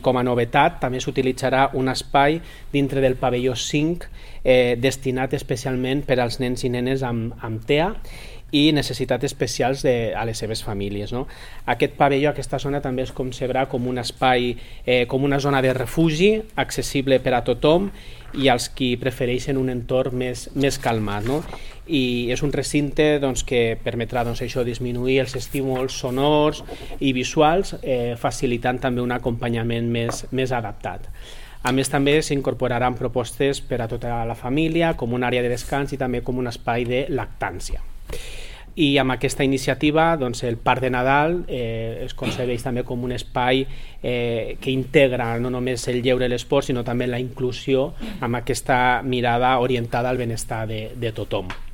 Com a novetat, també s'utilitzarà un espai dintre del pavelló 5 destinat especialment per als nens i nenes amb TEA i necessitats especials a les seves famílies. Aquest pavelló, aquesta zona, també es concebrà com un espai, com una zona de refugi accessible per a tothom i als qui prefereixen un entorn més calmat. I és un recinte que permetrà això disminuir els estímuls sonors i visuals, facilitant també un acompanyament més adaptat. A més, també s'incorporaran propostes per a tota la família, com una àrea de descans i també com un espai de lactància. I amb aquesta iniciativa el Parc de Nadal es concebeix també com un espai que integra no només el lleure i l'esport, sinó també la inclusió amb aquesta mirada orientada al benestar de tothom.